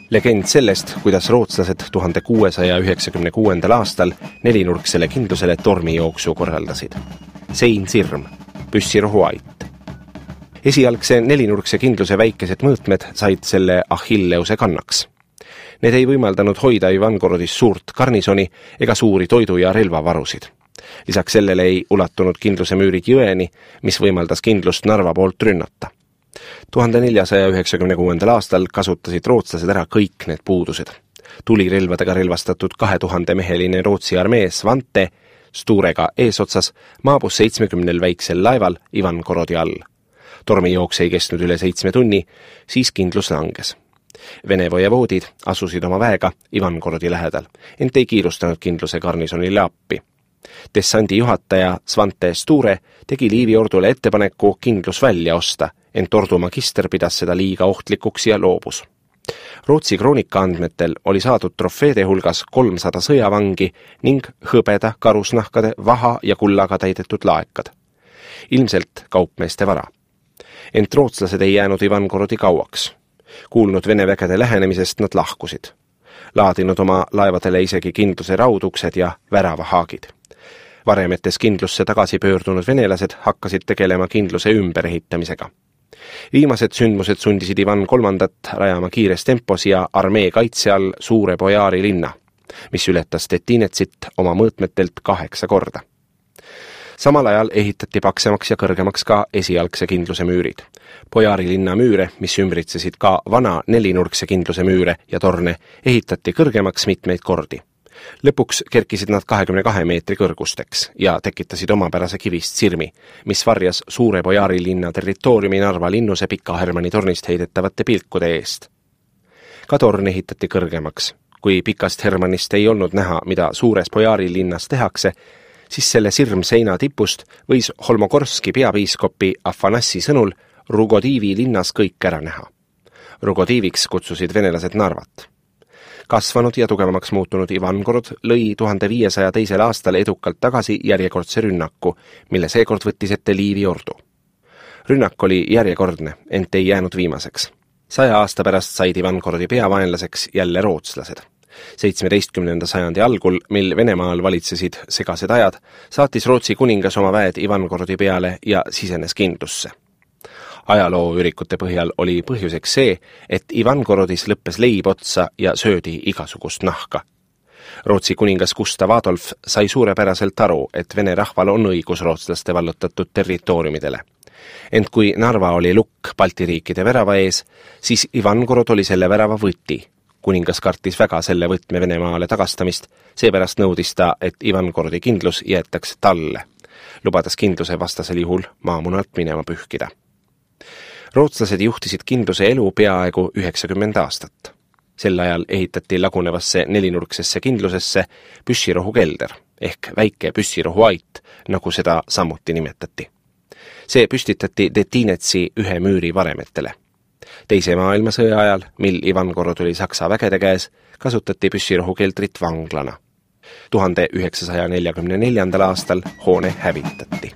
Legend sellest, kuidas rootslased 1696. aastal nelinurksele kindlusele tormijooksu korraldasid. Sein Sirm, püssirohu ait. Esialgse nelinurkse kindluse väikesed mõõtmed said selle Achilleuse kannaks. Need ei võimaldanud hoida Ivangorodis suurt garnisoni ega suuri toidu- ja relvavarusid. Lisaks sellele ei ulatunud kindluse müürid jõeni, mis võimaldas kindlust Narva poolt rünnata. 1496. aastal kasutasid rootslased ära kõik need puudused. Tulirelvadega relvastatud 2000-meheline Rootsi armee Svante Sturega eesotsas maabus 70 väiksel laeval Ivankorodi all. Tormijooks ei kestnud üle 7 tunni, siis kindlus langes. Vene vojevoodid asusid oma väega Ivankorodi lähedal, ent ei kiirustanud kindluse garnisonile appi. Dessandi juhataja Svante Sture tegi Liivi ordule ettepaneku kindlus välja osta, ent ordu magister pidas seda liiga ohtlikuks ja loobus. Rootsi kroonika andmetel oli saadud trofeede hulgas 300 sõjavangi ning hõbeda, karusnahkade, vaha ja kullaga täidetud laekad. Ilmselt kaupmeeste vara. Ent rootslased ei jäänud Ivankorodi kauaks. Kuulnud Vene vägede lähenemisest nad lahkusid. Laadinud oma laevadele isegi kindluse rauduksed ja väravahaagid. Varemetes kindlusse tagasi pöördunud venelased hakkasid tegelema kindluse ümberehitamisega. Viimased sündmused sundisid Ivan III rajama kiires tempos ja armee kaitse all Suure Bojaari linna, mis ületas Stettinetsit oma mõõtmetelt 8 korda. Samal ajal ehitati paksemaks ja kõrgemaks ka esialgse kindluse müürid. Bojaari linna müüre, mis ümbritsesid ka vana nelinurkse kindluse müüre ja torne, ehitati kõrgemaks mitmeid kordi. Lõpuks kerkisid nad 22 meetri kõrgusteks ja tekitasid omapärase kivist sirmi, mis varjas Suure Bojaari linna territooriumi Narva linnuse Pika Hermanni tornist heidetavate pilkude eest. Ka torn ehitati kõrgemaks. Kui Pikast Hermannist ei olnud näha, mida Suures Bojaari linnas tehakse, siis selle sirmseina tipust võis Holmogorski peapiiskopi Afanassi sõnul Rugodiivi linnas kõik ära näha. Rugodiiviks kutsusid venelased Narvat. Kasvanud ja tugevamaks muutunud Ivangorod lõi 1502. aastal edukalt tagasi järjekordse rünnaku, mille seekord võttis ette Liivi ordu. Rünnak oli järjekordne, ent ei jäänud viimaseks. 100 aasta pärast said Ivangorodi peavaenlaseks jälle rootslased. 17. sajandi algul, mil Venemaal valitsesid segased ajad, saatis Rootsi kuningas oma väed Ivangorodi peale ja sisenes kindlusse. Ajalooürikute põhjal oli põhjuseks see, et Ivangorodis lõppes leib otsa ja söödi igasugust nahka. Rootsi kuningas Gustav Adolf sai suurepäraselt aru, et Vene rahval on õigus rootslaste vallutatud territooriumidele. Ent kui Narva oli lukk Balti riikide värava ees, siis Ivangorod oli selle värava võti. Kuningas kartis väga selle võtme Venemaale tagastamist, seepärast nõudis ta, et Ivangorodi kindlus jäetaks talle, lubades kindluse vastasel juhul maamunalt minema pühkida. Rootslased juhtisid kindluse elu peaaegu 90 aastat. Sel ajal ehitati lagunevasse nelinurksesse kindlusesse püssirohu kelder ehk väike püssirohu ait, nagu seda samuti nimetati. See püstitati Stettinetsi ühe müüri varemetele. Teise maailmasõja ajal, mil Ivangorod oli Saksa vägede käes, kasutati püssirohu keldrit vanglana. 1944. aastal hoone hävitati.